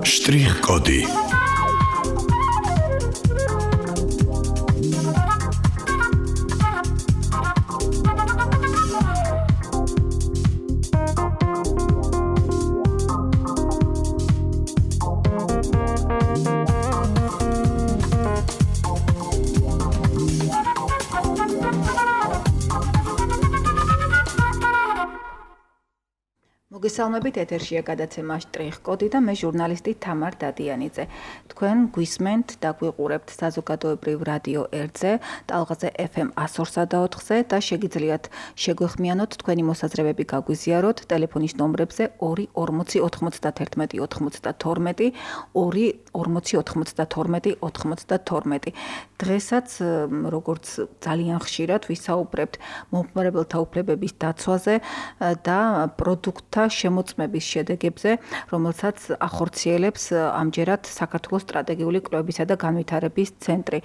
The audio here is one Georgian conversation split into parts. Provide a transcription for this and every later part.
Շտրիխ-կոդի მოგესალმებით, ეთერშია გადაცემა შტრიხ-კოდი და მე ჟურნალისტი თამარ დადიანიძე. თქვენ გვისმენთ და გვიყურებთ საზოგადოებრივ რადიო 1-ზე, ტალღაზე FM 102.4-ზე და შეგიძლიათ შეგვეხმიანოთ თქვენი მოსაზრებები გაგვიზიაროთ ტელეფონის ნომრებზე 2 40 91 92 2 40 92 დღესაც როგორც ძალიან ხშირად ვისაუბრებთ მომხმარებელთა უფლებების დაცვაზე და პროდუქტთა შემოწმების შედეგებზე, რომელსაც ახორციელებს ამჯერად საქართველოს სტრატეგიული კვლევებისა და განვითარების ცენტრი.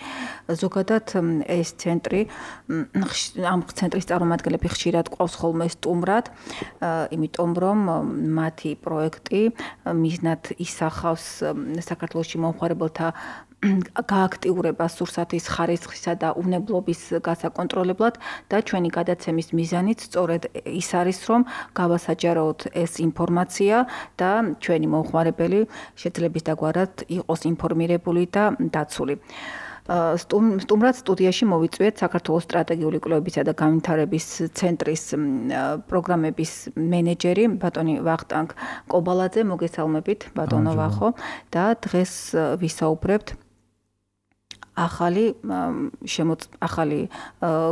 ზოგადად ეს ცენტრი ამ ცენტრის წარმომადგენლები ხშირად ყავს ხოლმე სტუმრად, იმიტომ რომ მათი პროექტი მიზნად ისახავს საქართველოში მომხმარებელთა გააქტიურებას სურსათის ხარისხისა და უნებლობის გასაკონტროლებლად და ჩვენი გადაცემის მიზანიც სწორედ ის არის, რომ გავასაჯაროოთ ეს ინფორმაცია და ჩვენი მომხმარებელი შეძლების დაგვარად იყოს ინფორმირებული და დაცული. სტუმრად სტუდიაში მოვიწვიეთ საქართველოს სტრატეგიული კვლევებისა და განვითარების ცენტრის პროგრამების მენეჯერი ბატონი ვახტანგ კობალაძე. მოგესალმებით ბატონო ვახო და დღეს ვისაუბრებთ ახალი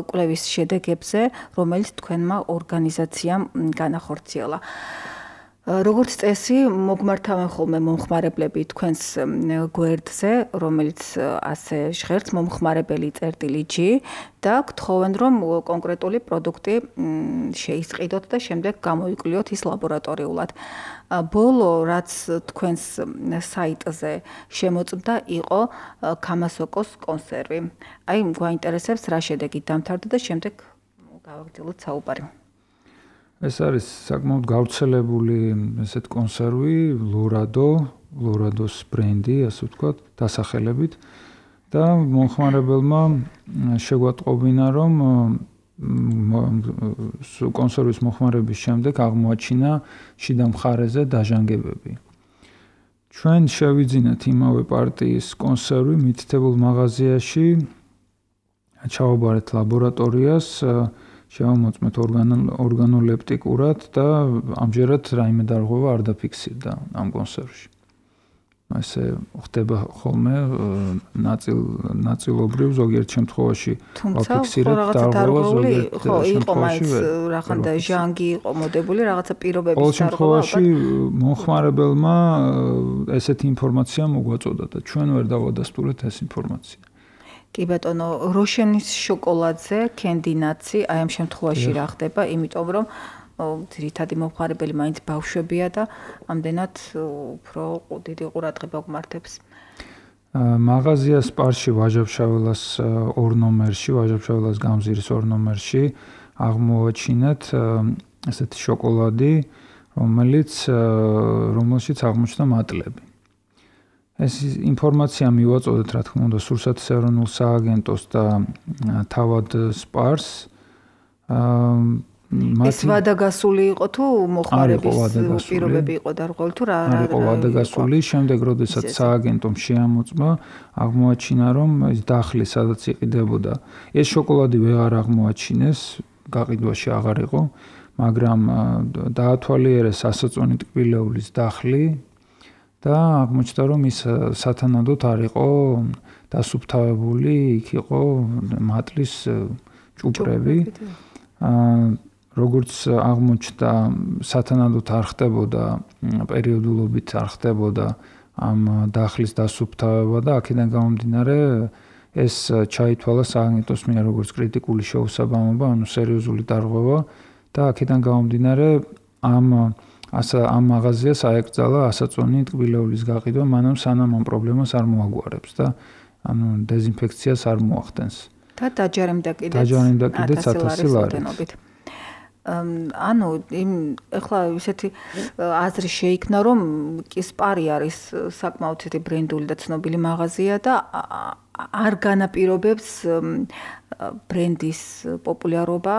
კვლევის შედეგებზე, რომელიც თქვენმა ორგანიზაციამ განახორციელა. როგორც წესი, მოგმართავენ ხოლმე მომხმარებლები თქვენს გვერდზე, რომელიც ასე ჟღერს მომხმარებელი წერტილი G და გთხოვენ, რომ კონკრეტული პროდუქტი შეისყიდოთ და შემდეგ გამოიკვლიოთ ის ლაბორატორიულად. ბოლო, რაც თქვენს საიტზე შემოწმდა, იყო ქამასოკოს კონსერვი. აი, გვაინტერესებს რა შედეგით დამთავრდა და შემდეგ გავაგრძელოთ საუბარი. ეს არის საკმაოდ გავრცელებული ესეთ კონსერვი, ლორადოს ბრენდი, ასე ვთქვათ, დასახელებით და მომხმარებელმა შეგვატყობინა, რომ კონსერვის მოხმარების შემდეგ აღმოაჩინა შიდა მხარეზე დაჟანგებები. ჩვენ შევიძინეთ იმავე პარტიის კონსერვი მითითებულ მაღაზიაში, ჩავაბარეთ ლაბორატორიას, შევამოწმეთ ორგანოლეპტიკურად და ამჯერად რაიმე დარღვევა არ დაფიქსირდა ამ კონსერვში. ესე ხდება ხოლმე ნაწილობრივ ზოგიერთ შემთხვევაში ვაფიქსირებთ დარღვევა, ზოგიერთ შემთხვევაში რაღაცა ჟანგი იყო მოდებული, რაღაცა პირობების დარღვევა. ყოველ შემთხვევაში მომხმარებელმა ესეთი ინფორმაცია მოგვაწოდა და ჩვენ ვერ დავადასტურეთ ეს ინფორმაცია. კი ბატონო, როშენის შოკოლადზე კენდინაცი, აი ამ შემთხვევაში რა ხდება, იმიტომ რომ ძირითადი მომხმარებელი მაინც ბავშვებია და ამდენად უფრო დიდი ყურადღება გვმართებს. მაღაზია სპარში ვაჟა-ფშაველას 2 ნომერში, ვაჟა-ფშაველას გამზირის 2 ნომერში აღმოაჩინეთ ესეთი შოკოლადი, რომელშიც აღმოჩნდა მატლები. ეს ინფორმაცია მივაწოდეთ, რა თქმა უნდა, სურსათის ეროვნულ სააგენტოს და თავად სპარს. ეს ვადაგასული იყო თუ მოხმარების პირობები იყო დარღვეული თუ რა იყო ვადაგასული, შემდეგ როდესაც სააგენტომ შეამოწმა, აღმოაჩინა, რომ ეს დახლი სადაც იყიდებოდა, ეს შოკოლადი ვეღარ აღმოაჩინეს, გაყიდვაში აღარ იყო, მაგრამ დაათვალიერეს ასაწონი ტკბილეულის დახლი და აღმოჩნდა, რომ ის სათანადოდ არ იყო დასუფთავებული, იქ იყო მატლის ჭუპრები. როგორც აღმოჩნდა, სათანადოდ არ ხდებოდა პერიოდულობით არ ხდებოდა ამ დახლის დასუფთავება და აქედან გამომდინარე ეს ჩაითვალა სააგენტოს მიერ როგორც კრიტიკული შეუსაბამობა, ანუ სერიოზული დარღვევა და აქედან გამომდინარე ამ მაღაზიას აეკრძალა ასაწონი ტკბილეულის გაყიდვა, მანამ სანამ ამ პრობლემას არ მოაგვარებს და ანუ დეზინფექციას არ მოახდენს. და დაჯარიმდა კიდეც 1000 ლარით. ანუ ეხლა ისეთი აზრი შეიქმნა, რომ კისპარი არის საკმაოდ ისეთი ბრენდული და ცნობილი მაღაზია და არ განაპირობებს ბრენდის პოპულარობა,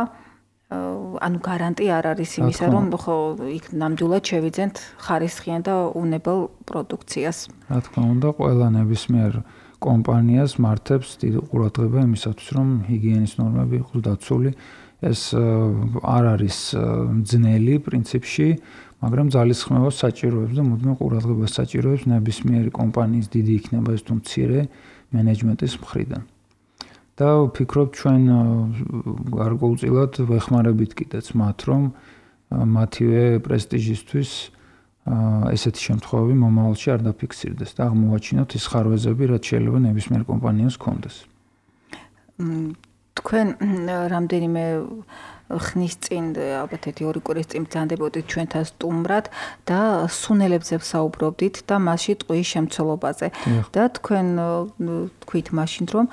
ანუ გარანტი არ არის იმისა, რომ ხო იქ ნამდვილად შევიძენთ ხარისხიან და უნებელ პროდუქციას. რა თქმა უნდა, ყველა ნებისმიერ კომპანიას მართებს დიდ ყურადღება იმისათვის, რომ ჰიგიენის ნორმები იყოს დაცული. ეს არ არის ძნელი პრინციპში, მაგრამ ძალისხმევას საჭიროებს და მუდმივ ყურადღებას საჭიროებს ნებისმიერი კომპანიის დიდი იქნება ეს თუ მცირე მენეჯმენტის მხრიდან. და ვფიქრობ ჩვენ გარკვეულწილად ვეხმარებით კიდეც მათ, რომ მათივე პრესტიჟისთვის ესეთი შემთხვევები მომავალში არ დაფიქსირდეს და აღმოვაჩინოთ ის ხარვეზები, რაც შეიძლება ნებისმიერ კომპანიას ჰქონდეს. თქვენ რამდენიმე ხნის წინ, ალბათ 1-2 კვირის წინ ბრძანდებოდით ჩვენთან სტუმრად და სუნელებზე ვსაუბრობდით და მასში ტყუის შემცველობაზე. და თქვენ თქვით მაშინ, რომ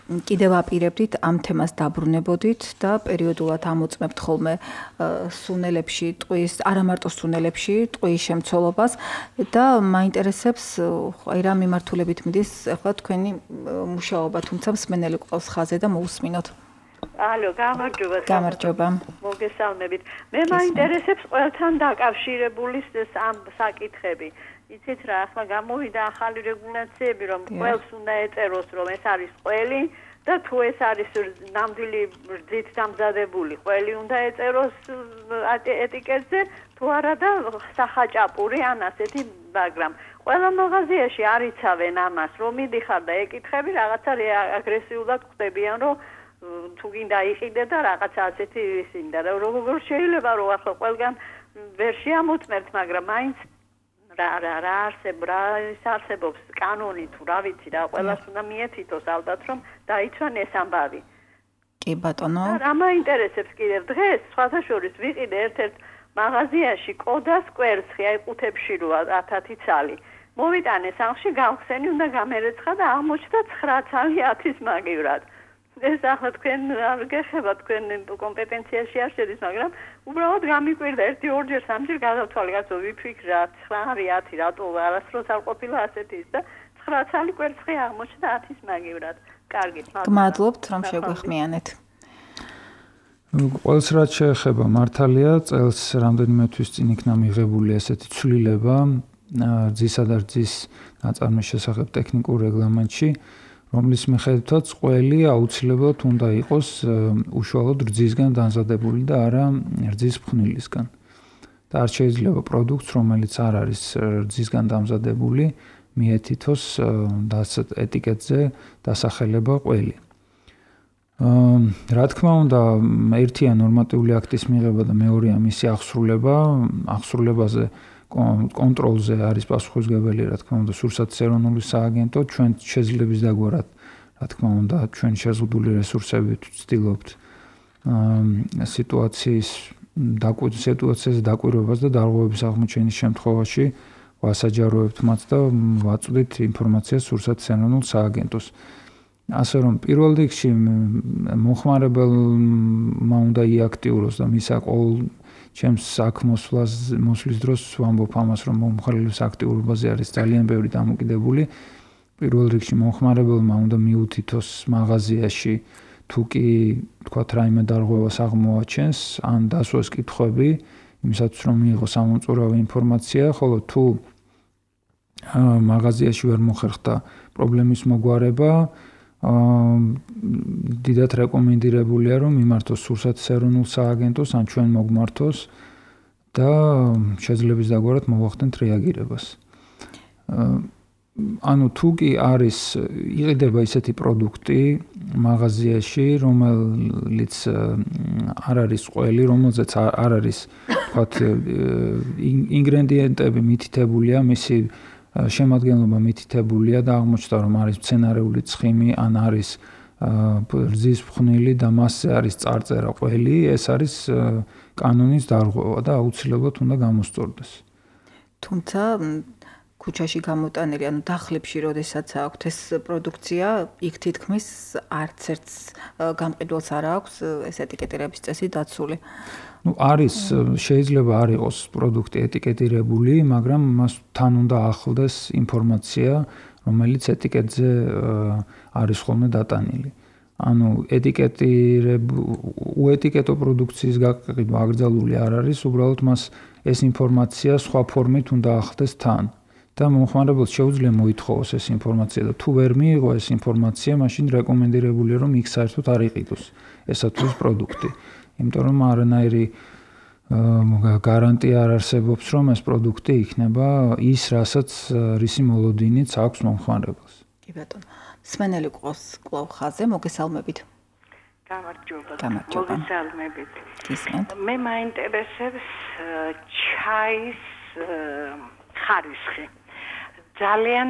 კიდევ აპირებდით ამ თემას დაბრუნებოდით და პერიოდულად ამოწმებთ ხოლმე სუნელებში ტყუის, არა მარტო სუნელებში ტყუის შემცველობას და მაინტერესებს აი რა მიმართულებით მიდის ახლა თქვენი მუშაობა, თუმცა მსმენელი ყავს ხაზე და მოусმინოთ. ალო, გამარჯობა. მოგესალმებით. მე მაინტერესებს ყველთან დაკავშირებული ამ საკითხები. იცით რა, ახლა გამოვიდა ახალი რეგულაციები, რომ ყველს უნდა ეწეროს, რომ ეს არის ყველი და თუ ეს არის ნამდვილი რძით დამზადებული ყველი უნდა ეწეროს ეტიკეტზე, თუ არა და სახაჭაპური ან ასეთი, მაგრამ ყველა მაღაზიაში არ იცავენ ამას, რომ მიდიხარ და ეკითხები, რაღაცა აგრესიულად ხდებიან, რომ თუ გინდა იყიდე და რაღაცა ასეთი ისინი და როგორ შეიძლება რომ ახლა ყველგან ვერ შეამოწმებთ, მაგრამ მაინც რა არსებობს კანონი თუ რა ვიცი რა ყველას უნდა მიეთითოს ალბათ რომ დაიცვან ეს ამბავი. კი ბატონო. რა მაინტერესებს კიდევ დღეს სხვათა შორის ვიყიდე ერთ-ერთ მაღაზიაში კოდას კვერცხი აი ყუთებში როა 10 ცალი. მოვიტანე სახლში გავხსენი უნდა გამერეცხა და აღმოჩნდა 9 ცალი 10-ის მაგივრად. ეს ახლა თქვენ არ გეხება თქვენ კომპეტენციაში არ შედის, მაგრამ უბრალოდ გამიკვირდა 1-2-ჯერ 3-ჯერ გადავთვალე, კაცო ვიფიქრა 9 10 რატო არასდროს არ ყოფილა ასეთი ის და 9 ცალი კვერცხი აღმოჩნდა 10-ის მაგივრად. კარგით, მადლობთ რომ შეგვეხმიანეთ. ყველს რაც შეეხება მართალია, წელს რამდენიმე თვის წინ იქნა მიღებული ესეთი ცვლილება რძისა და რძის ნაწარმის შესახებ ტექნიკურ რეგლამენტში, რომლის მიხედვითაც ყველი აუცილებლად უნდა იყოს უშუალოდ რძისგან დამზადებული და არა რძის ფხვნილისგან. და არ შეიძლება პროდუქტს, რომელიც არ არის რძისგან დამზადებული, მიეთითოს ეტიკეტზე დასახელება ყველი. რა თქმა უნდა, ერთია ნორმატიული აქტის მიღება და მეორეა მისი აღსრულება. აღსრულებაზე კონტროლზე არის პასუხისმგებელი, რა თქმა უნდა, სურსათის ეროვნული სააგენტო, ჩვენ შეძლებს დაგვარად, რა თქმა უნდა, ჩვენ შეზღუდული რესურსებით ვცდილობთ სიტუაციის დაკვირვებას და დარღვევების აღმოჩენის შემთხვევაში ვასაჯაროებთ მათ და ვაწვდით ინფორმაციას სურსათის ეროვნულ სააგენტოს. ასე რომ პირველ რიგში მოხმარებელმა უნდა იაქტიუროს და მისა ყოველ ჩემს აქ მოსვლის დროს ვამბობ ამას, რომ მომხმარებლის აქტიურობაზე არის ძალიან ბევრი დამოკიდებული. პირველ რიგში მომხმარებელმა უნდა მიუთითოს მაღაზიაში თუ კი თქვათ რაიმე დარღვევას აღმოაჩენს, ან დასვას კითხვები, იმისათვის რომ მიიღოს ამომწურავი ინფორმაცია, ხოლო თუ მაღაზიაში ვერ მოხერხდა პრობლემის მოგვარება, დიდად რეკომენდირებულია რომ მიმართოს სურსათის ეროვნულ სააგენტოს ან ჩვენ მოგმართოს და შეძლებს დაგვარად მოვახდენთ რეაგირებას. ანუ თუ კი იყიდება ისეთი პროდუქტი მაღაზიაში, რომელიც არ არის ყველი, რომელზეც არ არის თქვათ ინგრედიენტები მითითებულია, მისი შემადგენლობა მითითებულია და აღმოჩნდა რომ არის მცენარეული ცხიმი ან არის რძის ფხვნილი და მასზე არის წარწერა ყველი, ეს არის კანონის დარღვევა და აუცილებლად უნდა გამოსწორდეს. თუმცა ქუჩაში გამოტანილი, ანუ დახლებში როდესაც აქვთ ეს პროდუქცია, იქ თითქმის არც ერთს გამყიდველს არ აქვს ეს ეტიკეტირების წესი დაცული. არის შეიძლება არ იყოს პროდუქტი ეტიკეტირებული, მაგრამ მას თან უნდა ახლდეს ინფორმაცია, რომელიც ეტიკეტზე არის ხოლმე დატანილი. ანუ უეტიკეტო პროდუქციის გაყიდვა აკრძალული არ არის, უბრალოდ მას ეს ინფორმაცია სხვა ფორმით უნდა ახლდეს თან. და მომხმარებელს შეუძლია მოითხოვოს ეს ინფორმაცია და თუ ვერ მიიღო ეს ინფორმაცია, მაშინ რეკომენდირებულია რომ იქ საერთოდ არ იყიდოს ესა თუ ის პროდუქტი. იმიტომ რომ არანაირი გარანტია არ არსებობს, რომ ეს პროდუქტი იქნება ის, რასაც რისი მოლოდინიც აქვს მომხმარებელს. კი ბატონო. სმენელი ყავს კვლავ ხაზე, მოგესალმებით. გამარჯობა. მოგესალმებით. გისმენთ. მე მაინტერესებს ჩაის ხარისხი. ძალიან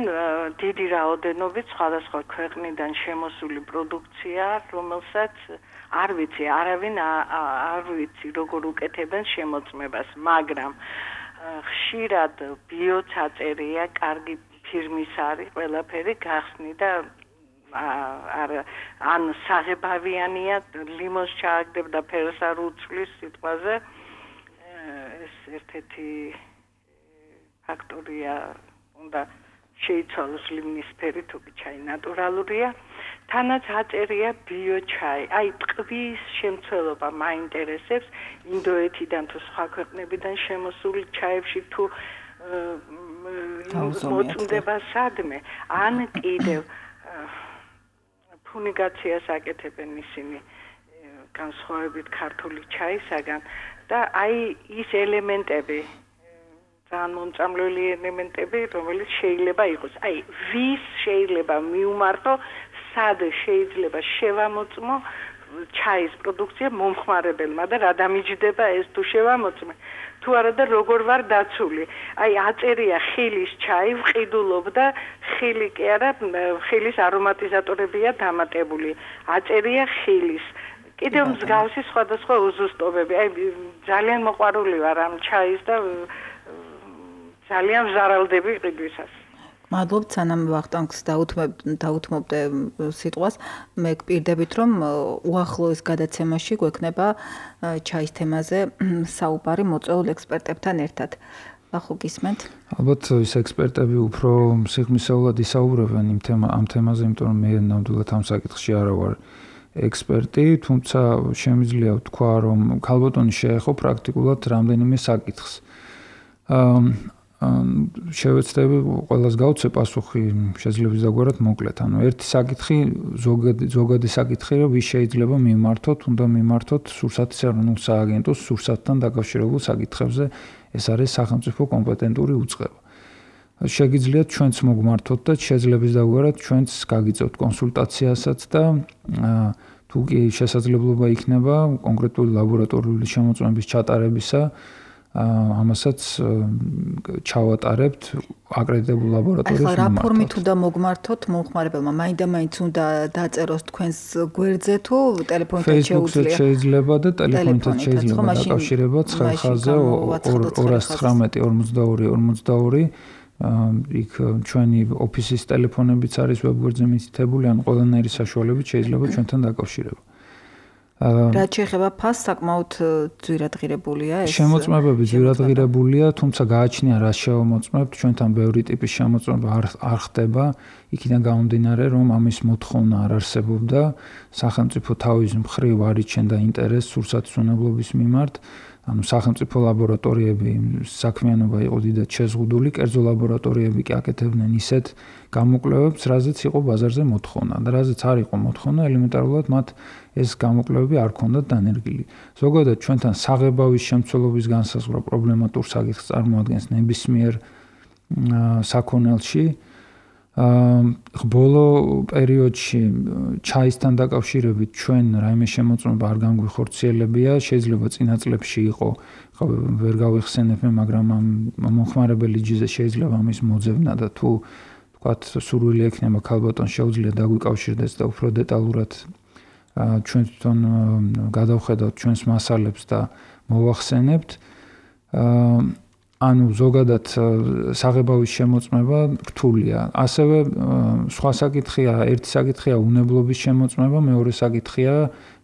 დიდი რაოდენობით სხვადასხვა ქვეყნიდან შემოსული პროდუქცია, რომელსაც არ ვიცი, არავინ არ ვიცი როგორ უკეთებენ შემოწმებას, მაგრამ ხშირად ბიოცაწერია, კარგი ფირმის არის, ყველაფერი გახსნი და ან საღებავიანია, ლიმონს ჩააგდებდა ფერს არ უცვლის სიტყვაზე. ეს ერთ-ერთი ფაქტორია უნდა შეიცვალოს ლიმინის ფერი, თუ ჩაი ნატურალურია. თანაც აწერია ბიოჩაი. აი ტყვის შემცველობა მაინტერესებს, ინდოეთიდან თუ სხვა ქვეყნებიდან შემოსული ჩაებში თუ მოწმდება სადმე, ან კიდევ ფუნიგაციას აკეთებენ ისინი განსხვავებით ქართული ჩაისაგან და აი ის ელემენტები ძალიან მომწამლელი ელემენტები, რომელიც შეიძლება იყოს. აი, ვის შეიძლება მიუმართო, სად შეიძლება შევამოწმო ჩაის პროდუქცია მომხმარებელმა და რა დამიჯდება ეს თუ შევამოწმე. თუ არა და როგორ ვარ დაცული. აი, აწერია ხილის ჩაი, ვყიდულობ და ხილი კი არა, ხილის არომატიზატორებია დამატებული. აწერია ხილის. კიდევ მსგავსი სხვადასხვა უზუსტობები. აი, ძალიან მოყვარული ვარ ამ ჩაის და ძალიან ვზარალდები ყიდვისას. მადლობთ, სანამ ვახტანგს დაუთმობდე სიტყვას, მე გპირდებით, რომ უახლოეს გადაცემაში გვექნება ჩაის თემაზე საუბარი მოწვეულ ექსპერტებთან ერთად. ახო გისმენთ? ალბათ ის ექსპერტები უფრო სიღრმისეულად ისაუბრებენ ამ თემაზე, იმიტომ რომ მე ნამდვილად ამ საკითხში არა ვარ ექსპერტი, თუმცა შემიძლია ვთქვა, რომ ქალბატონი შეეხო პრაქტიკულად რამდენიმე საკითხს. შევეცდები ყველას გავცე პასუხი შეიძლება ვიზაგვარად მოკლედ. ანუ ერთი საკითხი, ზოგადი საკითხი, რომ ვის შეიძლება მიმართოთ, უნდა მიმართოთ სურსათის ეროვნულ სააგენტოს სურსათთან დაკავშირებულ საკითხებზე, ეს არის სახელმწიფო კომპეტენტური უწყება. შეგიძლიათ ჩვენც მოგმართოთ და შეძლებს დაგვარად ჩვენც გაგიწევთ კონსულტაციასაც და თუ კი შესაძლებლობა იქნება კონკრეტული ლაბორატორიული შემოწმების ჩატარებისა, ამასაც ჩავატარებთ აკრედიტებულ ლაბორატორიის მიმართად. ახლა რა ფორმით უნდა მოგმართოთ მომხმარებელმა? მაინდა-მაინც უნდა დაწეროს თქვენს გვერდზე თუ ტელეფონით შეუძლია? შეიძლება და ტელეფონით შეიძლება დაკავშირება 9 ხაზზე 219 42 იქ ჩვენი ოფისის ტელეფონებიც არის ვებგვერდზე მითითებული, ან ყველანაირი საშუალებით შეიძლება ჩვენთან დაკავშირება. რაც შეეხება ფასს, საკმაოდ ძვირადღირებულია ეს. შემოწმებები ძვირადღირებულია, თუმცა გააჩნია რა შევამოწმებთ, ჩვენთან ბევრი ტიპის შემოწმება არ ხდება, იქიდან გამომდინარე, რომ ამის მოთხოვნა არ არსებობდა, სახელმწიფო თავის მხრივ არ იჩენდა ინტერესს სურსათის უნებლობის მიმართ. ანუ სახელმწიფო ლაბორატორიები საქმიანობა იყო დიდად შეზღუდული, კერძო ლაბორატორიები კი აკეთებდნენ ისეთ გამოკვლევებს, რაზეც იყო ბაზარზე მოთხოვნა და რაზეც არ იყო მოთხოვნა, ელემენტარულად მათ ეს გამოკვლევები არ ქონდათ დანერგილი. ზოგადად ჩვენთან საღებავის შემცველობის განსაზღვრა პრობლემატურ საკითხს წარმოადგენს ნებისმიერ საქონელში. ბოლო პერიოდში ჩაისთან დაკავშირებით ჩვენ რაიმე შემოწმება არ განგვიხორციელებია, შეიძლება წინა წლებში იყო, ვერ გავიხსენებ მე, მაგრამ ამ მომხმარებელი ჯიზე შეიძლება ამის მოძებნა და თუ ვთქვათ სურვილი ექნება ქალბატონს შეუძლია დაგვიკავშირდეს და უფრო დეტალურად ჩვენ თვითონ გადავხედავთ ჩვენს მასალებს და მოვახსენებთ. ანუ ზოგადად საღებავის შემოწმება რთულია. ასევე სხვა საკითხია, ერთი საკითხია უნებლობის შემოწმება, მეორე საკითხია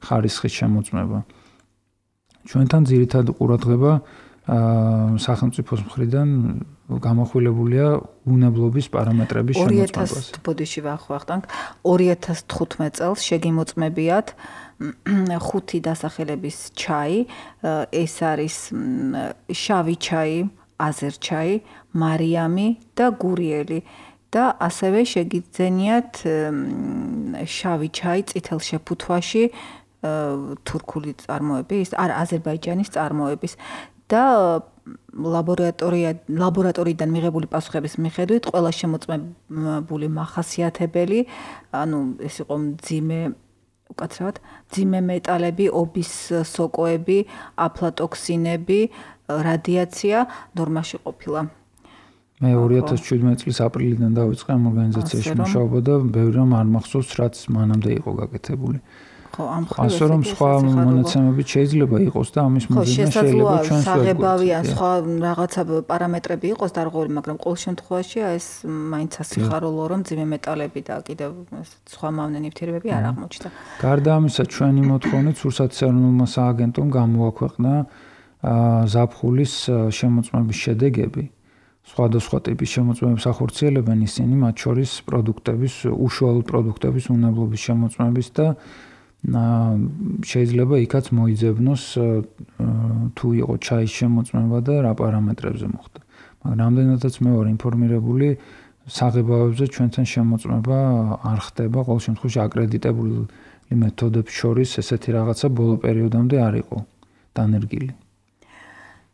ხარისხის შემოწმება. ჩვენთან ძირითადად ყურადღება სახელმწიფოს მხრიდან გამახვილებულია უნებლობის პარამეტრების შემოწმებას. 2000 ბოდიში ვახვახტანք 2015 წელს შეგიმოწმებიათ 5 დასახელების ჩაი, ეს არის შავი ჩაი, აზერჩაი, მარიამი და გურიელი და ასევე შეგიძენიათ შავი ჩაი წითელ შეფუთვაში თურქული წარმოების, აზერბაიჯანის წარმოების და ლაბორატორიიდან მიღებული პასუხების მიხედვით ყველა შემოწმებული მახასიათებელი, ანუ ეს იყო უკაცრავად მძიმე მეტალები, ობის სოკოები, აფლატოქსინები, რადიაცია ნორმაში ყოფილა. მე 2017 წლის აპრილიდან დავიწყე ამ ორგანიზაციაში მუშაობა და ბევრი რამ არ მახსოვს, რაც მანამდე იყო გაკეთებული. ასე რომ სხვა მონაცემებით შეიძლება იყოს და ამის მიზეზი შეიძლება ჩვენს საღებავი ან სხვა რაღაცა პარამეტრები იყოს დარღვეული, მაგრამ ყოველ შემთხვევაში ეს მაინც ასიხარულო რომ მძიმე მეტალები და კიდევ სხვა მავნე ნივთიერებები არ აღმოჩნდა. გარდა ამისა, ჩვენი მოთხოვნით სურსათის ეროვნულმა სააგენტომ გამოაქვეყნა ზაფხულის შემოწმების შედეგები. სხვადასხვა ტიპის შემოწმებებს ახორციელებენ ისინი, მათ შორის პროდუქტების, უშუალოდ პროდუქტების უნებლობის შემოწმების და შეიძლება იქაც მოიძებნოს თუ იყო ჩაის შემოწმება და რა პარამეტრებზე მოხდა. მაგრამ რამდენადაც მე ვარ ინფორმირებული, საღებავებზე ჩვენთან შემოწმება არ ხდება, ყოველ შემთხვევაში აკრედიტებული მეთოდებს შორის ესეთი რაღაცა ბოლო პერიოდამდე არ იყო დანერგილი.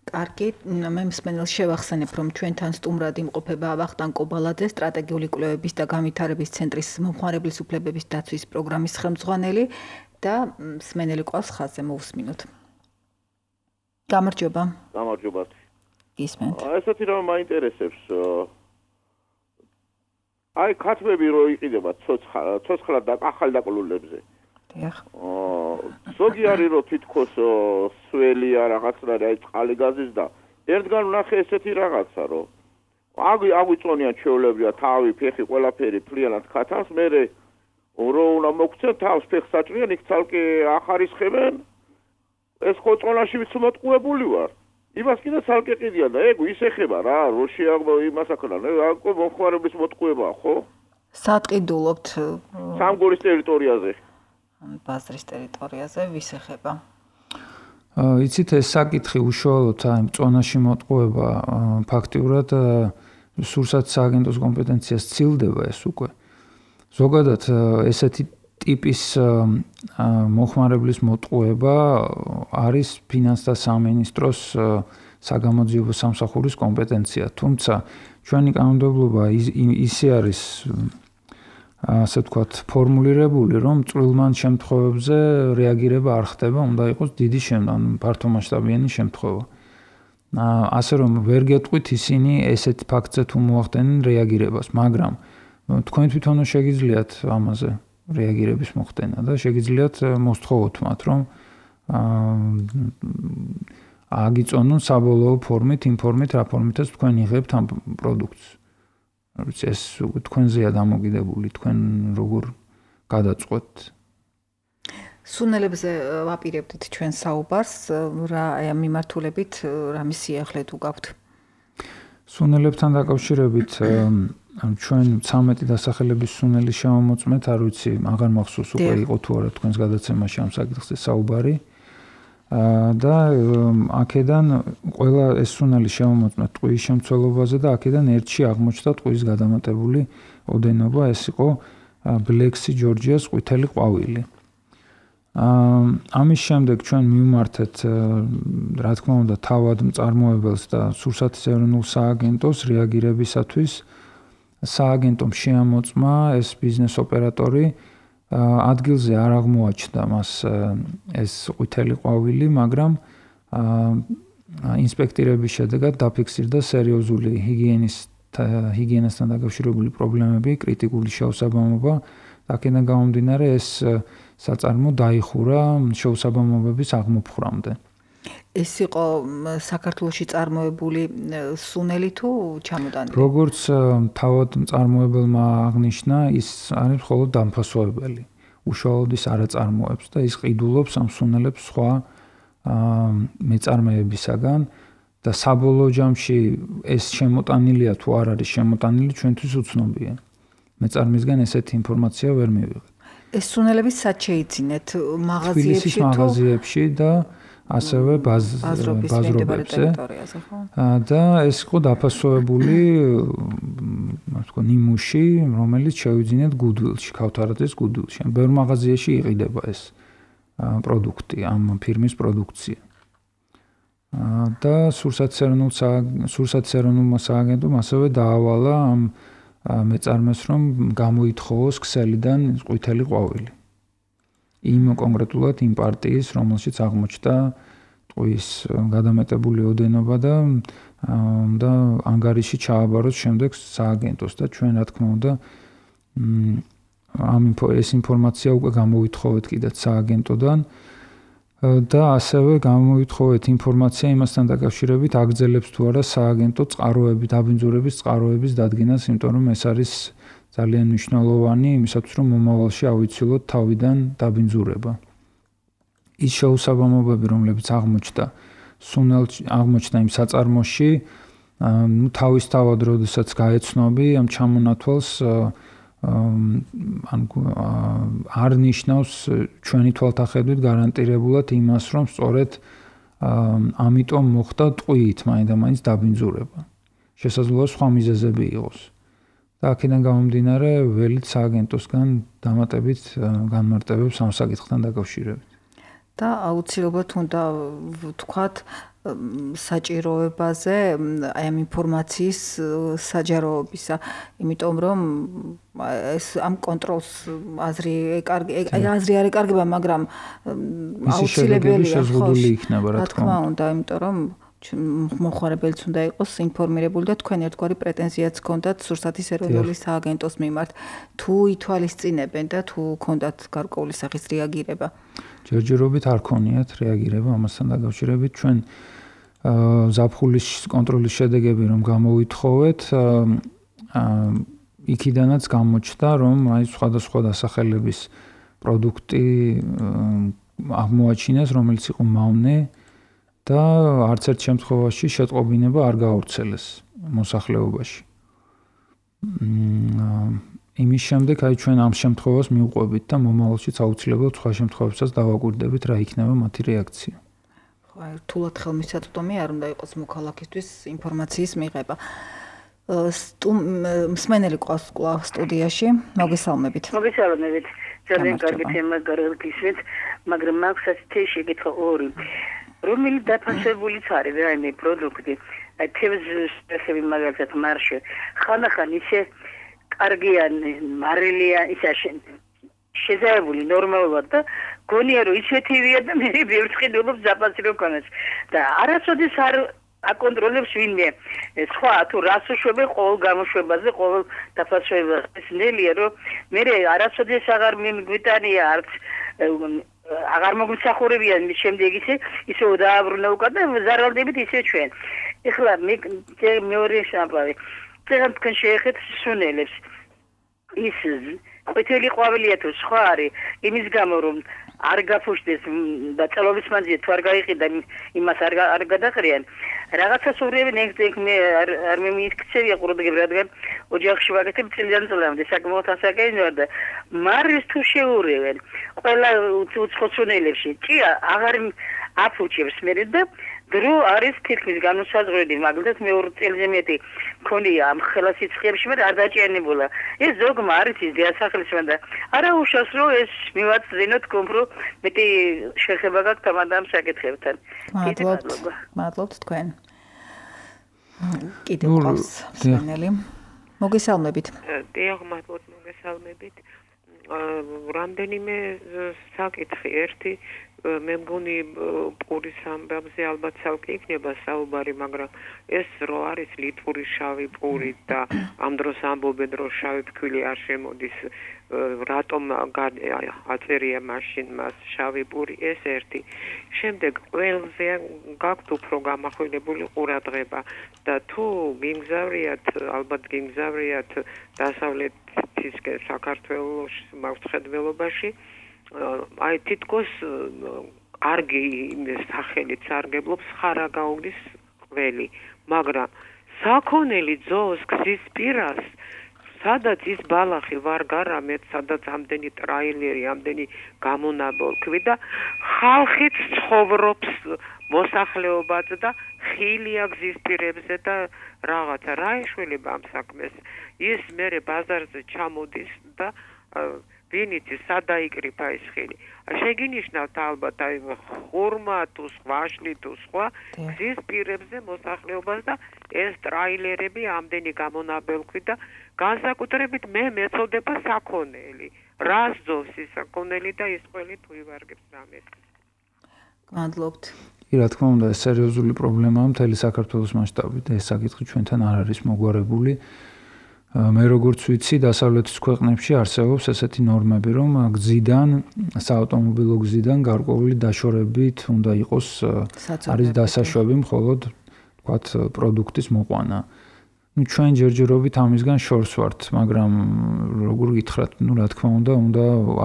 კარგი, მე მსმენელს შევახსენებ, რომ ჩვენთან სტუმრად იმყოფება ვახტანგ კობალაძე, სტრატეგიული კვლევების და განვითარების ცენტრის მომხმარებლის უფლებების დაცვის პროგრამის ხელმძღვანელი და მსმენელი ყავს ხაზზე მოусმინოთ. გამარჯობა. გამარჯობა. გისმენთ. ესეთი რომ მაინტერესებს. აი ქათმები რო იყიდება ცოცხლად და ახალ დაკლულებზე. დიახ. ზოგი არის რომ თითქოს სველია რაღაცა და აი წყალი გაზის და ერთგან ვნახე ესეთი რაღაცა რომ აგვიწონიან ჩვეულებრივად თავი, ფეხი, ყველაფერი ფლიანად ქათავს, მერე რო უნდა მოგცენ თავს ფეხს საჭრიან, იქ ცალკე ახარისხებენ. ეს ხო წონაში ვიც მოტყუებული ვარ. იმას კიდე ცალკე ყიდია და ეგ ის ეხება რა, რო შეაღმო იმას ახლა, აკო მომხმარებლის მოტყუებაა, ხო? სად ყიდულობთ? სამგორის ტერიტორიაზე. ბაზრის ტერიტორიაზე ვის ეხება? იცით ეს საკითხი უშუალოდ აი წონაში მოტყუება ფაქტიურად სურსათის სააგენტოს კომპეტენციას ცილდება ეს უკვე. ზოგადად ესეთი ტიპის მოხმარებლის მოტყუება არის ფინანსთა სამინისტროს საგამოძიებო სამსახურის კომპეტენცია. თუმცა ჩვენი კანონმდებლობა ისე არის ასე ვთქვათ, ფორმულირებული, რომ წვრილმან შემთხვევებზე რეაგირება არ ხდება, უნდა იყოს დიდი ფართომასშტაბიანი შემთხვევა. ასე რომ ვერ გეტყვით ისინი ესეთ ფაქტზე თუ მოახდენენ რეაგირებას, მაგრამ თქვენ თვითონ შეგიძლიათ ამაზე რეაგირების მოხდენა და შეგიძლიათ მოსთხოვოთ მათ, რომ აგიწონონ საბოლოო ფორმით, იმ ფორმით, რა ფორმითაც თქვენ იღებთ ამ პროდუქტს. ეს თქვენზეა დამოკიდებული, თქვენ როგორ გადაწყვეტთ. სუნელებზე ვაპირებდით ჩვენ საუბარს, რა მიმართულებით რა მისიახლეთ უგავთ? სუნელებთან დაკავშირებით ჩვენ 13 დასახელების სუნელის შემოწმეთ, არ ვიცი, აღარ მახსოვს უკვე იყო თუ არა თქვენს გადაცემაში ამ საკითხზე საუბარი. და აქედან ყველა ეს სუნელი შემოწმეთ ტყუის შემცველობაზე და აქედან ერთში აღმოჩნდა ტყუის გადამატებული ოდენობა, ეს იყო ბლექსი ჯორჯიას ყვითელი ყვავილი. ამის შემდეგ ჩვენ მივმართეთ, რა თქმა უნდა, თავად მწარმოებელს და სურსათის ეროვნულ სააგენტოს რეაგირებისათვის. სააგენტომ შეამოწმა ეს ბიზნეს ოპერატორი ადგილზე არ აღმოაჩნდა მას ეს ყვითელი ყვავილი, მაგრამ ინსპექტირების შედეგად დაფიქსირდა სერიოზული ჰიგიენასთან დაკავშირებული პრობლემები, კრიტიკული შეუსაბამობა. აქედან გამომდინარე ეს საწარმო დაიხურა შეუსაბამობების აღმოფხვრამდე. ეს იყო საქართველოში წარმოებული სუნელი თუ ჩამოტანილი? როგორც თავად მწარმოებელმა აღნიშნა, ის არის მხოლოდ დამფასოებელი. უშუალოდ ის არ აწარმოებს და ის ყიდულობს ამ სუნელებს სხვა მეწარმეებისაგან და საბოლოო ჯამში ეს შემოტანილია თუ არ არის შემოტანილი ჩვენთვის უცნობია. მეწარმისგან ესეთი ინფორმაცია ვერ მივიღეთ. ეს სუნელები სად შეიძინეთ? მაღაზიებში თუ? მაღაზიებში და ასევე ბაზრობებზე. და ეს იყო დაფასოებული, თქო, ნიმუში, რომელიც შევიძინეთ გუდვილში, ქავთარაძის გუდვილში. ბევრ მაღაზიაში იყიდება ეს პროდუქტი, ამ ფირმის პროდუქცია. და სურსათეროვნულმა სააგენტომ ასევე დაავალა ამ მეწარმეს, რომ გამოითხოვოს ქსელიდან ყვითელი ყვავილი. იმ კონკრეტულად იმ პარტიის, რომელშიც აღმოჩნდა ტყვის გადამეტებული ოდენობა და ანგარიში ჩააბაროს შემდეგ სააგენტოს და ჩვენ რა თქმა უნდა ეს ინფორმაცია უკვე გამოვითხოვეთ კიდეც სააგენტოდან და ასევე გამოვითხოვეთ ინფორმაცია იმასთან დაკავშირებით აგრძელებს თუ არა სააგენტო წყაროების, დაბინძურების წყაროების დადგენას, იმიტომ რომ ეს არის ძალიან მნიშვნელოვანი იმისათვის, რომ მომავალში ავიცილოთ თავიდან დაბინძურება. ის შეუსაბამობები, რომლებიც აღმოჩნდა იმ საწარმოში, თავისთავად, როდესაც გაეცნობი ამ ჩამონათვალს არ ნიშნავს ჩვენი თვალთახედვით გარანტირებულად იმას, რომ სწორედ ამიტომ მოხდა ტყვიით მაინდამაინც დაბინძურება. შესაძლოა სხვა მიზეზები იყოს. და აქედან გამომდინარე ველით სააგენტოსგან დამატებით განმარტებებს ამ საკითხთან დაკავშირებით. და აუცილებლად უნდა ვთქვათ საჭიროებაზე აი ამ ინფორმაციის საჯაროობისა, იმიტომ რომ ეს ამ კონტროლს აზრი არ ეკარგება, მაგრამ აუცილებელია შეზღუდული იქნება რა თქმა უნდა, იმიტომ რომ მოხარებელიც უნდა იყოს ინფორმირებული და თქვენ ერთგვარი პრეტენზიაც ჰქონდათ სურსათის ეროვნული სააგენტოს მიმართ, თუ ითვალისწინებენ და თუ ჰქონდათ გარკვეული სახის რეაგირება. ჯერჯერობით არ ქონიათ რეაგირება ამასთან დაკავშირებით. ჩვენ ზაფხულის კონტროლის შედეგები რომ გამოვითხოვეთ, იქიდანაც გამოჩნდა, რომ აი სხვადასხვა დასახელების პროდუქტი აღმოაჩინეს, რომელიც იყო მავნე და არც ერთ შემთხვევაში შეტყობინება არ გაავრცელეს მოსახლეობაში. იმის შემდეგ აი ჩვენ ამ შემთხვევას მივყვებით და მომავალშიც აუცილებლად სხვა შემთხვევებსაც დავაკვირდებით, რა იქნება მათი რეაქცია. ხო, აი რთულად ხელმისაწვდომი არ უნდა იყოს მოქალაქისთვის ინფორმაციის მიღება. მსმენელი ყავს კვლავ სტუდიაში, მოგესალმებით. მოგესალმებით. ძალიან კარგი თემა გარგისვით, მაგრამ მაქვს ასეთი შეკითხვა ორი. რომელი დაფასებულიც არის რაიმე პროდუქტი, აი თევზები მაგალითად მარშე, ხანახან ისე კარგიან მარილია ისაშენ შეზაებული ნორმალურად და გონია რომ ისეთივია და მე ბევრს ყიდულობს ზაფასი რო ქონდეს და არასოდეს არ აკონტროლებს ვინმე სხვა თუ რას უშვება ყოველ გამოშვებაზე ყოველ დაფასებას ნელია რომ მე არასოდეს აღარ მიგვიტანია არც აღარ მოგვისახურებიან მის შემდეგ ისე დააბრუნა უკან და ზარალდებით ისე ჩვენ ეხლა მეორე შაბავი წერან თქვენ შეეხეთ სუნელებს ის ყვითელი ყვავილია თუ სხვა არის იმის გამო რომ არ გაფუშდეს და წელობის მანძილზე თუ არ გაიყიდა იმას არ გადაყრიან რაღაცას უბრალოდ მე არ მიმიქცევია ყურადღება რადგან ოჯახში ვაკეთებ წლიდან წლამდე საკმაოდ ასაკენია და მარის თუ შეურევენ ყველა უცხოწუნელებში ჭია აღარ აფუჭებს მე და დრო არის თითქმის განუსაზღვრელი მაგალითად მე 2 წელზე მეტი მქონია ამ ხელასიცხეებში მე არ დაჭიანებულა ეს ზოგმა არის ის დიასახლის და არა უშავს რომ ეს მივაწვინოთ კომპრო მეტი შეხება გაქვთ ამ საკითხებთან მადლობთ თქვენ კიდევ ყავს სვენელი მოგესალმებით დიახ მადლობთ მოგესალმებით რამდენიმე საკითხი. ერთი მე მგონი პურის ამბებზე ალბათ ცალკე იქნება საუბარი, მაგრამ ეს რო არის ლიტვური შავი პური და ამ დროს ამბობენ რომ შავი ფქვილი არ შემოდის, რატომ აწერია მაშინ მას შავი პური, ეს ერთი. შემდეგ ყველზე გაქვთ უფრო გამახვილებული ყურადღება და თუ გიმგზავრიათ, ალბათ გიმგზავრიათ დასავლეთისკენ საქართველოს მართლმსახედველობაში, აი თითქოს კარგი სახელით სარგებლობს ხარაგაულის ყველი, მაგრამ საქონელი ძოვს გზის პირას, სადაც ის ბალახი ვარ გარამეთ, სადაც ამდენი ტრაილერი, ამდენი გამონაბოლქვი და ხალხიც ცხოვრობს მოსახლეობაც და ხილია გზის პირებზე და რაღაცა რა ეშველება ამ საქმეს. ის მერე ბაზარზე ჩამოდის და ვინიც სადაიკრიფა ის ხილი. შეგინიშნავთ ალბათ აი ხურმა თუ ხვაშლი თუ სხვა გზის პირებზე მოსახლეობას და ეს ტრაილერები ამდენი გამონაბელქვი და განსაკუთრებით მე მეწოდება საქონელი. რას ძოვს ის საქონელი და ის ყველი თუ ივარგებს რამეს. გმადლობთ. კი, რა თქმა უნდა, ეს სერიოზული პრობლემაა მთელი საქართველოს მასშტაბით. ეს საკითხი ჩვენთან არ არის მოგვარებული. მე როგორც ვიცი, დასავლეთის ქვეყნებში არსებობს ესეთი ნორმები, რომ გზიდან, საავტომობილო გზიდან გარკვეული დაშორებით უნდა იყოს არის დასაშვები მხოლოდ თქვათ პროდუქტის მოყვანა. ნუ ჩვენ ჯერჯერობით ამისგან შორს ვართ, მაგრამ როგორ გითხრათ, ნუ რა თქმა უნდა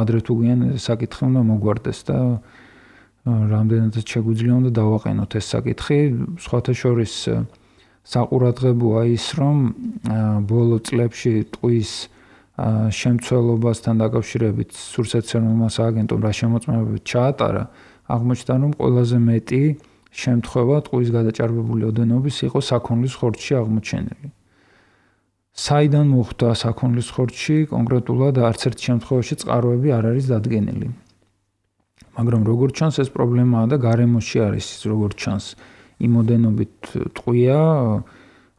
ადრე თუ გვიან საკითხი უნდა მოგვარდეს და რამდენადაც შეგვიძლია უნდა დავაყენოთ ეს საკითხი. სხვათა შორის საყურადღებოა ის, რომ ბოლო წლებში ტყვის შემცველობასთან დაკავშირებით სურსათმცემელმა სააგენტომ რა შემოწმებებით ჩაატარა, აღმოჩნდა, რომ ყველაზე მეტი შემთხვევა ტყვის გადაჭარბებული ოდენობის იყო საქონლის ხორცში აღმოჩენილი. საიდან მოხვდა საქონლის ხორცში, კონკრეტულად არც ერთ შემთხვევაში წყაროები არ არის დადგენილი. მაგრამ როგორც ჩანს, ეს პრობლემაა და გარემოში არის, როგორც ჩანს. იმოდენობით ტყვია,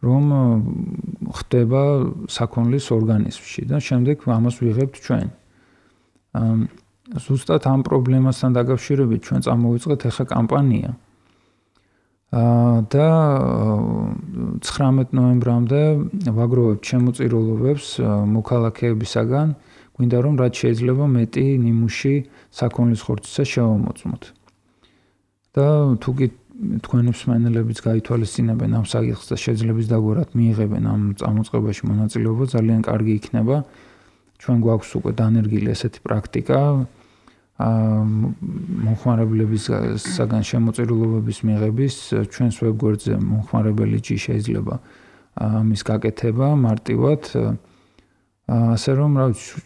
რომ ხდება საქონლის ორგანიზმში და შემდეგ ამას ვიღებთ ჩვენ. ზუსტად ამ პრობლემასთან დაკავშირებით ჩვენ წამოვიწყეთ ახლა კამპანია. და 19 ნოემბრამდე ვაგროვებთ შემოწირულობებს მოქალაქეებისაგან, გვინდა რომ რაც შეიძლება მეტი ნიმუში საქონლის ხორცისა შევამოწმოთ. და თუ კი თქვენი მსმენელებიც გაითვალისწინებენ ამ საკითხს და შეძლებს დაგვარად მიიღებენ ამ წამოწყებაში მონაწილეობა, ძალიან კარგი იქნება. ჩვენ გვაქვს უკვე დანერგილი ესეთი პრაქტიკა, მომხმარებლებისგან შემოწირულობების მიღების ჩვენს ვებგვერდზე მომხმარებელი ჯი შეიძლება ამის გაკეთება მარტივად. ასე რომ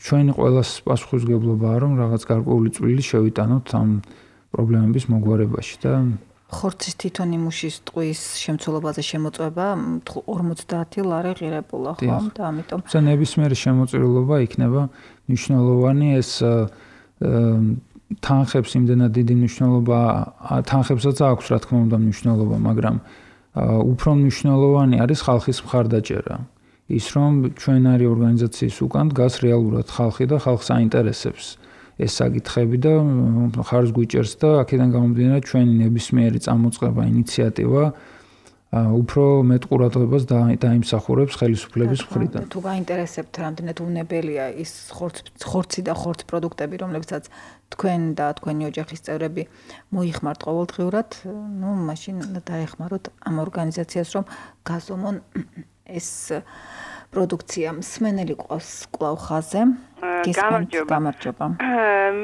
ჩვენი ყველას პასუხისმგებლობაა, რომ რაღაც გარკვეული წვლილი შევიტანოთ ამ პრობლემების მოგვარებაში და ხორცის თვითონ იმუშის ტყვის შემცველობაზე შემოწმება 50 ლარი ღირებულა, ხომ? და ამიტომ ნებისმიერი შემოწირულობა იქნება მნიშვნელოვანი. ეს თანხებს იმდენად დიდი მნიშვნელობა, თანხებსაც აქვს რა თქმა უნდა მნიშვნელობა, მაგრამ უფრო მნიშვნელოვანი არის ხალხის მხარდაჭერა. ის რომ ჩვენარი ორგანიზაციის უკან დგას რეალურად ხალხი და ხალხს აინტერესებს ეს საკითხები და ხარს გვიჭერს და აქედან გამომდინარე ჩვენი ნებისმიერი წამოწყება, ინიციატივა უფრო მეტ ყურადღებას დაიმსახურებს ხელისუფლების მხრიდან. თუ გაინტერესებთ რამდენად უნებელია ის ხორცი და ხორც პროდუქტები, რომლებსაც თქვენ და თქვენი ოჯახის წევრები მოიხმართ ყოველდღიურად, ნუ მაშინ დაეხმაროთ ამ ორგანიზაციას, რომ გაზომონ ეს პროდუქცია. მსმენელი ყავს კვლავ ხაზე. გამარჯობა.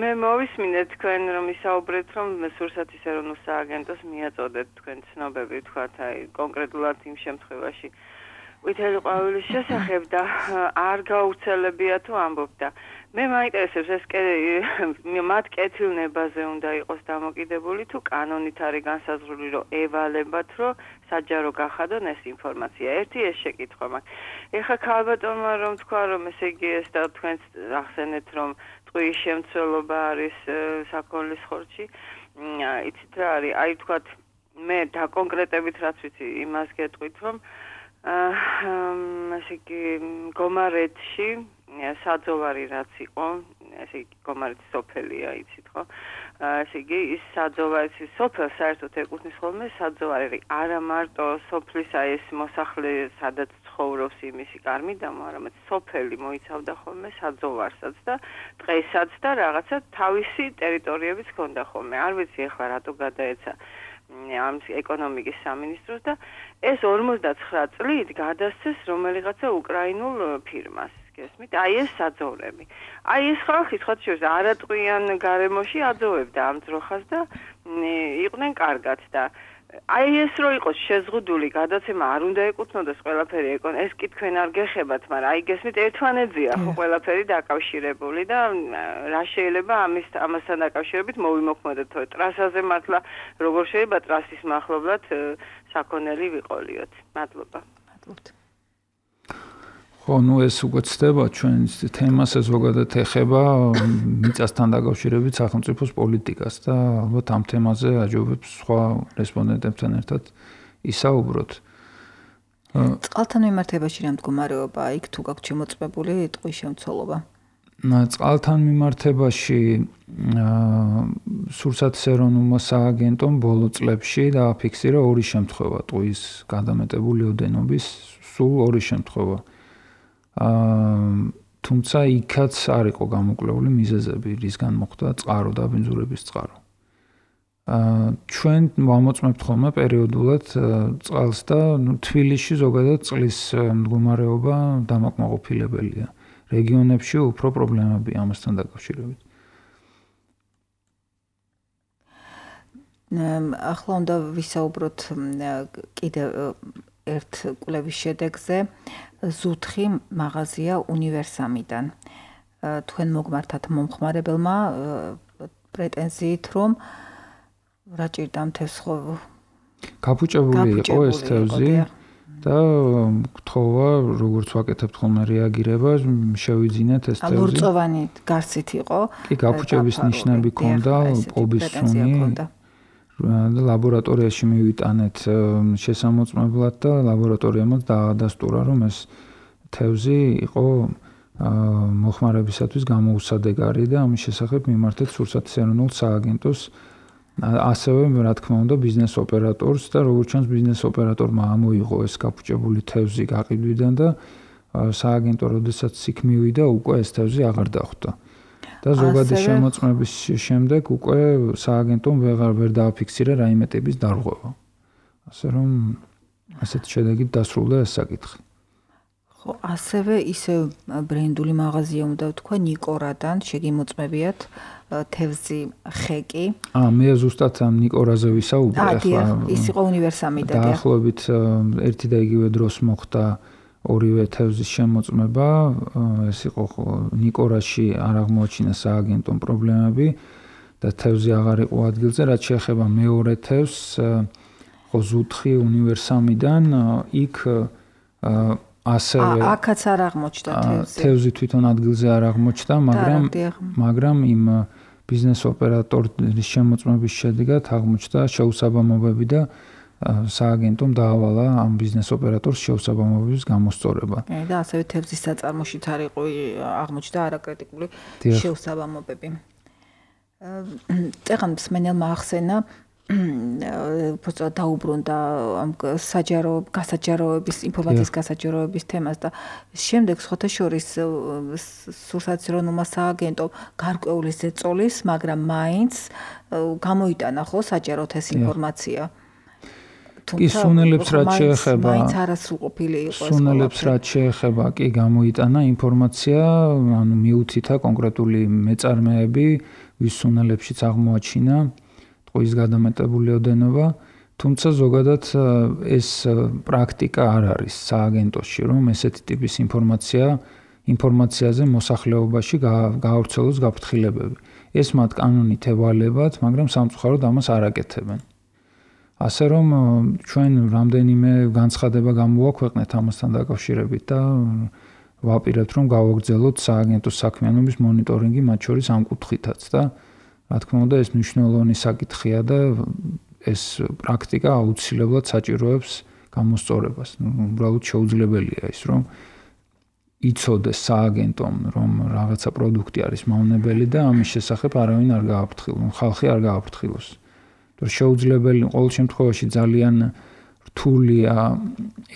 მე მოვისმინეთ თქვენ რომ ისაუბრეთ რომ სურსათის ეროვნულ სააგენტოს მიაწოდეთ თქვენ ცნობები თქვათ აი კონკრეტულად იმ შემთხვევაში ვითელი ყვავილის შესახებ და არ გაუცელებია თუ ამბობ და მე მაინტერესებს ეს მათ კეთილნებაზე უნდა იყოს დამოკიდებული თუ კანონით არის განსაზღვრული რომ ევალებათ რომ საჯარო გახადონ ეს ინფორმაცია. ერთი ეს შეკითხვა მაქვს. ეხლა ქალბატონმა რომ თქვა რომ ესე იგი ეს და თქვენც ახსენეთ რომ ტყვის შემცველობა არის საქონლის ხორცში. იცით რა არის? აი თქვათ მე დაკონკრეტებით რაც ვიცი იმას გეტყვით რომ ესე იგი გომარეთში საძოვარი რაც იყო ესე იგი გომარეთის სოფელია, იცით ხო? ესე იგი ის საძოვარი სოფელ საერთოდ ეკუთვნის ხოლმე საძოვარი არა მარტო სოფლის აი ეს მოსახლე სადაც ცხოვრობს იმისი კარმიდამო, არამედ სოფელი მოიცავდა ხოლმე საძოვარსაც და დღესაც და რაღაცა თავისი ტერიტორიებიც ჰქონდა ხოლმე. არ ვიცი ახლა რატო გადაეცა ამ ეკონომიკის სამინისტროს და ეს 59 წლით გადასცეს რომელიღაცა უკრაინულ ფირმას. გესმით? აი ეს საძოვრები. აი ეს ხალხი სხვა შორის არატყვიან გარემოში აძოვებდა ამ ძროხას და იყვნენ კარგად და აი ეს რო იყოს შეზღუდული გადაცემა არ უნდა ეკუთვნოდეს ყველაფერი ეს კი თქვენ არ გეხებათ, მაგრამ აი გესმით ერთმანეთზეა ხო ყველაფერი დაკავშირებული და რა შეიძლება ამასთან დაკავშირებით მოვიმოქმედოთ ტრასაზე მართლა როგორ შეიძლება ტრასის მახლობლად საქონელი ვიყოლიოთ. მადლობა. მადლობთ. ხო, ნუ ეს უკვე ცდება ჩვენ თემას ზოგადად ეხება მიწასთან დაკავშირებით სახელმწიფოს პოლიტიკას და ალბათ ამ თემაზე აჯობებს სხვა რესპონდენტებთან ერთად ისაუბროთ. წყალთან მიმართებაში რა მდგომარეობა იქ თუ გაქვთ შემოწმებული ტყვის შემცველობა? წყალთან მიმართებაში სურსათის ეროვნულმა სააგენტომ ბოლო წლებში დააფიქსირა 2 შემთხვევა ტყვის გადამეტებული ოდენობის, სულ 2 შემთხვევა. თუმცა იქაც არ იყო გამოკვლეული მიზეზები, რისგან მოხდა წყარო და ბინძურების წყარო. ჩვენ ვამოწმებთ ხოლმე პერიოდულად წყალს და თბილისში ზოგადად წყლის მდგომარეობა დამაკმაყოფილებელია. რეგიონებში უფრო პრობლემებია ამასთან დაკავშირებით. ახლა უნდა ვისაუბროთ კიდევ ერთ კვლევის შედეგზე. ზუთხი მაღაზია უნივერსამიდან. თქვენ მოგმართათ მომხმარებელმა პრეტენზიით, რომ რა ჭირდა მთეს ხო გაფუჭებული იყო ეს თევზი და გთხოვა როგორც ვაკეთებთ ხოლმე რეაგირება, შევიძინეთ ეს თევზი. ლურწოვანი გარსით იყო. კი, გაფუჭების ნიშნები ჰქონდა, პობის სუნი. და ლაბორატორიაში მივიტანეთ შესამოწმებლად და ლაბორატორიამაც დაადასტურა, რომ ეს თევზი იყო მოხმარებისათვის გამოუსადეგარი და ამის შესახებ მიმართეთ სურსათის ეროვნულ სააგენტოს, ასევე რა თქმა უნდა ბიზნეს ოპერატორს და როგორც ჩანს ბიზნეს ოპერატორმა ამოიღო ეს გაფუჭებული თევზი გაყიდვიდან და სააგენტო როდესაც იქ მივიდა უკვე ეს თევზი აღარ დახვდა. და ზოგადი შემოწმების შემდეგ უკვე სააგენტომ ვერ დააფიქსირა რაიმე ტიპის დარღვევა. ასე რომ ასეთ შედეგით დასრულდა ეს საკითხი. ხო, ასევე ისევ ბრენდული მაღაზია უნდა ვთქვა ნიკორადან, შეგიმოწმებიათ თევზი ხეკი. მე ზუსტად ამ ნიკორაზე ვისაუბრე ახლა. ის იყო უნივერსამიდან. დაახლოებით ერთი და იგივე დროს მოხდა ორივე თევზის შემოწმება, ეს იყო ნიკორაში არ აღმოაჩინა სააგენტომ პრობლემები და თევზი აღარ იყო ადგილზე, რაც შეეხება მეორე თევზს, ხო ზუთხი უნივერსამიდან, იქ ასევე აქაც არ აღმოჩნდა თევზი. თევზი თვითონ ადგილზე არ აღმოჩნდა, მაგრამ იმ ბიზნეს ოპერატორის შემოწმების შედეგად აღმოჩნდა შეუსაბამობები და სააგენტომ დაავალა ამ ბიზნეს ოპერატორს შეუსაბამობების გამოსწორება. და ასევე თევზის საწარმოშიც არ იყო აღმოჩნდა არაკრიტიკული შეუსაბამობები. წეგან მსმენელმა ახსენა უბრალოდ დაუბრუნდა ამ გასაჯაროების ინფორმაციის გასაჯაროების თემას და შემდეგ სხვათა შორის სურსათის ეროვნულმა სააგენტომ გარკვეული ზეწოლის, მაგრამ მაინც გამოიტანა ხო საჯაროდ ეს ინფორმაცია. კი, სუნელებს რაც შეეხება, მაინც არასრულყოფილი იყო ეს. სუნელებს რაც შეეხება, კი გამოიტანა ინფორმაცია, ანუ მიუთითა კონკრეტული მეწარმეები, ვის სუნელებშიც აღმოაჩინა ტყვის გადამეტებული ოდენობა, თუმცა ზოგადად ეს პრაქტიკა არ არის სააგენტოში, რომ ესეთი ტიპის ინფორმაციაზე მოსახლეობაში გაავრცელოს გაფრთხილებები. ეს მათ კანონით ევალებათ, მაგრამ სამწუხაროდ ამას არ აკეთებენ. ასე რომ ჩვენ რამდენიმე განცხადება გამოვაქვეყნეთ ამასთან დაკავშირებით და ვაპირებთ რომ გავაგრძელოთ სააგენტოს საქმიანობის მონიტორინგი მათ შორის ამ კუთხითაც და რა თქმა უნდა ეს მნიშვნელოვანი საკითხია და ეს პრაქტიკა აუცილებლად საჭიროებს გამოსწორებას. უბრალოდ შეუძლებელია ის რომ იცოდეს სააგენტომ, რომ რაღაცა პროდუქტი არის მავნებელი და ამის შესახებ არავინ არ გააფრთხილოს, ხალხი არ გააფრთხილოს. თორე შეუძლებელი ყოველ შემთხვევაში ძალიან რთულია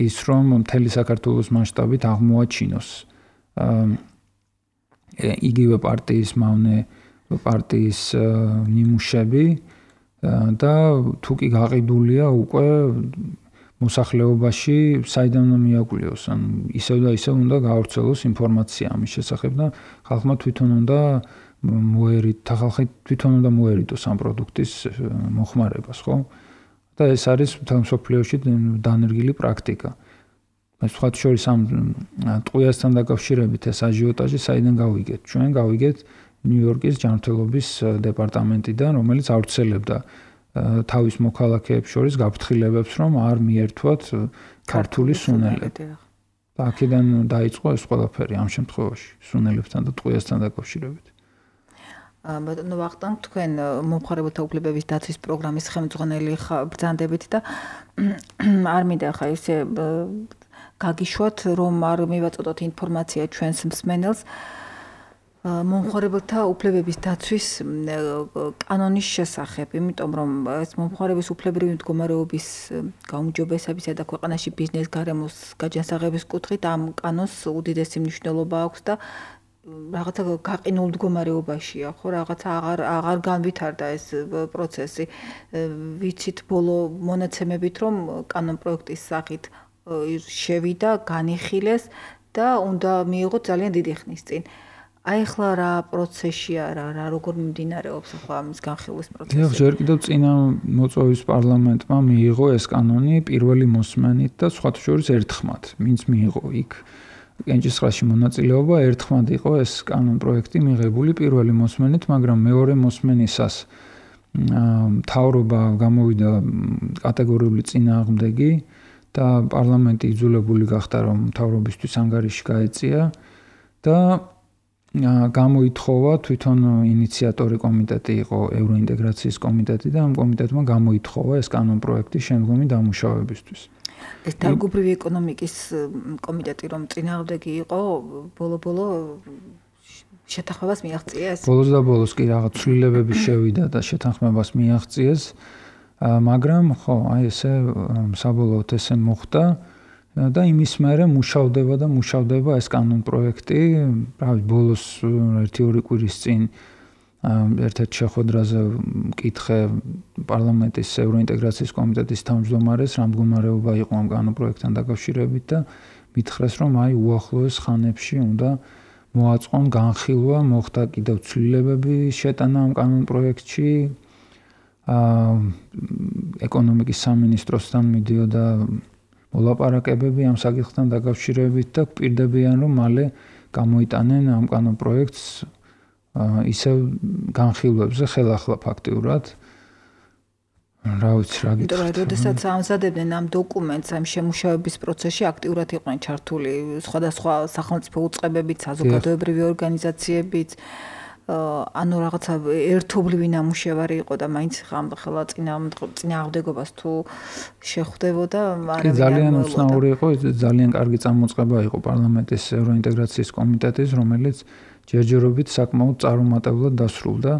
ის, რომ მთელი საქართველოს მასშტაბით აღმოაჩინოს იგივე პარტიის მავნე პარტიის ნიმუშები და თუ კი გაყიდულია უკვე მოსახლეობაში საიდან უნდა მიაკვლიოს, ან ისევ და ისევ უნდა გაავრცელოს ინფორმაცია ამის შესახებ და ხალხმა თვითონ უნდა ხალხი თვითონ უნდა მოერიდოს ამ პროდუქტის მოხმარებას, ხო? და ეს არის მთელ მსოფლიოში დანერგილი პრაქტიკა. სხვა შორის ამ ტყვიასთან დაკავშირებით ეს აჟიოტაჟი საიდან გავიგეთ? ჩვენ გავიგეთ ნიუ-იორკის ჯანმრთელობის დეპარტამენტიდან, რომელიც ავრცელებდა თავის მოქალაქეებს შორის გაფრთხილებებს, რომ არ მიერთვათ ქართული სუნელები. და აქედან დაიწყო ეს ყველაფერი ამ შემთხვევაში სუნელებთან და ტყვიასთან დაკავშირებით. ბატონო ვახტანგ, თქვენ მომხმარებელთა უფლებების დაცვის პროგრამის ხელმძღვანელი ბრძანდებით და არ მინდა ხა ისე გაგიშვათ, რომ არ მივაწოდოთ ინფორმაცია ჩვენს მსმენელს მომხმარებელთა უფლებების დაცვის კანონის შესახებ, იმიტომ რომ ეს მომხმარების უფლებრივი მდგომარეობის გაუმჯობესებისა და ქვეყანაში ბიზნეს გარემოს გაჯანსაღების კუთხით ამ კანონს უდიდესი მნიშვნელობა აქვს და რაღაცა გაყინულ მდგომარეობაშია, ხო, რაღაცა აღარ განვითარდა ეს პროცესი. ვიცით ბოლო მონაცემებით, რომ კანონ პროექტის სახით შევიდა, განიხილეს და უნდა მიიღოთ ძალიან დიდი ხნის წინ. აი ახლა რა პროცესია, რა როგორ მიმდინარეობს ახლა ამის განხილვის პროცესი? ჯერ კიდევ წინა მოწვევის პარლამენტმა მიიღო ეს კანონი პირველი მოსმენით და სხვათა შორის ერთხმად, ვინც მიიღო იქ კენჭისყრაში მონაწილეობა, ერთხმად იყო ეს კანონ პროექტი მიღებული პირველი მოსმენით, მაგრამ მეორე მოსმენისას მთავრობა გამოვიდა კატეგორიული წინააღმდეგი და პარლამენტი იძულებული გახდა, რომ მთავრობისთვის ანგარიში გაეწია და გამოითხოვა თვითონ ინიციატორი კომიტეტი იყო ევროინტეგრაციის კომიტეტი და ამ კომიტეტმა გამოითხოვა ეს კანონ პროექტის შემდგომი დამუშავებისთვის. ეს დარგობრივი ეკონომიკის კომიტეტი რომ წინააღმდეგი იყო, ბოლო-ბოლო შეთანხმებას მიაღწიეს? ბოლოს და ბოლოს კი რაღაც ცვლილებები შევიდა და შეთანხმებას მიაღწიეს, მაგრამ ხო, აი ესე საბოლოოდ ესე მოხდა. და იმის მერე მუშავდება ეს კანონ პროექტი, pravit ბოლოს 1-2 კვირის წინ ერთ-ერთ შეხვედრაზე მკითხე პარლამენტის ევროინტეგრაციის კომიტეტის თავმჯდომარეს, რა მდგომარეობა იყო ამ კანონ პროექტთან დაკავშირებით და მითხრეს, რომ აი უახლოეს ხანებში უნდა მოაწყონ განხილვა, მოხდა კიდევ ცვლილებები შეტანა ამ კანონ პროექტში. ეკონომიკის სამინისტროსთან მიდიოდა მოლაპარაკებები ამ საკითხთან დაკავშირებით და გვპირდებიან, რომ მალე გამოიტანენ ამ კანონ პროექტს ისევ განხილვებზე ხელახლა ფაქტიურად. რა ვიცი, რა გითხრათ. იმიტომ რომ როდესაც ამზადებდნენ ამ დოკუმენტს, ამ შემუშავების პროცესში აქტიურად იყვნენ ჩართული სხვადასხვა სახელმწიფო უწყებებიც, საზოგადოებრივი ორგანიზაციებიც, ანუ რაღაცა ერთობლივი ნამუშევარი იყო და მაინც ხელა წინააღმდეგობას თუ შეხვდებოდა, მაგრამ ძალიან უცნაური იყო, ძალიან კარგი წამოწყება იყო პარლამენტის ევროინტეგრაციის კომიტეტის, რომელიც ჯერჯერობით საკმაოდ წარუმატებლად დასრულდა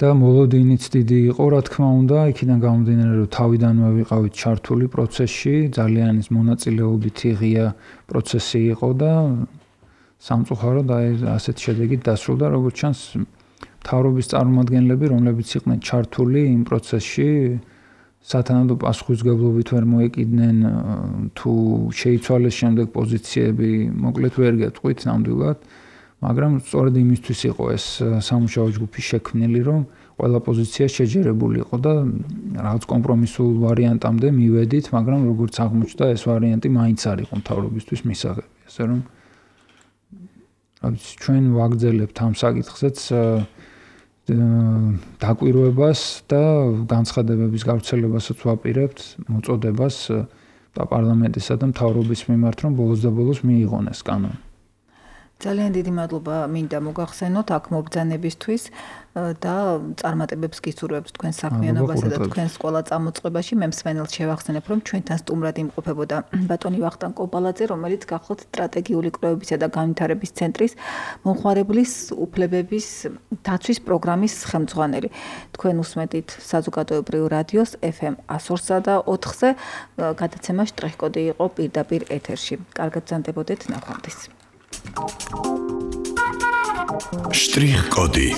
და მოლოდინიც დიდი იყო, რა თქმა უნდა, იქიდან გამომდინარე, რომ თავიდანვე ვიყავით ჩართული პროცესში, ძალიან ის მონაწილეობითი ღია პროცესი იყო და სამწუხაროდ ასეთ შედეგით დასრულდა, როგორც ჩანს, მთავრობის წარმომადგენლები, რომლებიც იყვნენ ჩართული იმ პროცესში, სათანადო პასუხისმგებლობით ვერ მოეკიდნენ, თუ შეიცვალეს შემდეგ პოზიციები, მოკლედ ვერ გეტყვით ნამდვილად, მაგრამ სწორედ იმისთვის იყო ეს სამუშაო ჯგუფი შექმნილი, რომ ყველა პოზიცია შეჯერებულიყო და რაღაც კომპრომისულ ვარიანტამდე მივედით, მაგრამ როგორც აღმოჩნდა, ეს ვარიანტი მაინც არ იყო მთავრობისთვის მისაღები, ასე რომ ჩვენ ვაგრძელებთ ამ საკითხზეც დაკვირვებას და განცხადებების გავრცელებასაც ვაპირებთ, მოწოდებას პარლამენტისა და მთავრობის მიმართ, რომ ბოლოს და ბოლოს მიიღონ ეს კანონი. ძალიან დიდი მადლობა მინდა მოგახსენოთ აქ მობრძანებისთვის და წარმატებებს გისურვებთ თქვენ საქმიანობასა და თქვენს ყველა წამოწყებაში. მე მსმენელს შევახსენებ, რომ ჩვენთან სტუმრად იმყოფებოდა ბატონი ვახტანგ კოპალაძე, რომელიც გახლავთ სტრატეგიული კვლევებისა და განვითარების ცენტრის მომხმარებლის უფლებების დაცვის პროგრამის ხელმძღვანელი. თქვენ უსმენთ საზოგადოებრივ რადიოს FM 102 და 4-ზე გადაცემა შტრიხკოდი იყო პირდაპირ ეთერში. კარგად ბრძანდებოდეთ ნახვამდის. შტრიხკოდი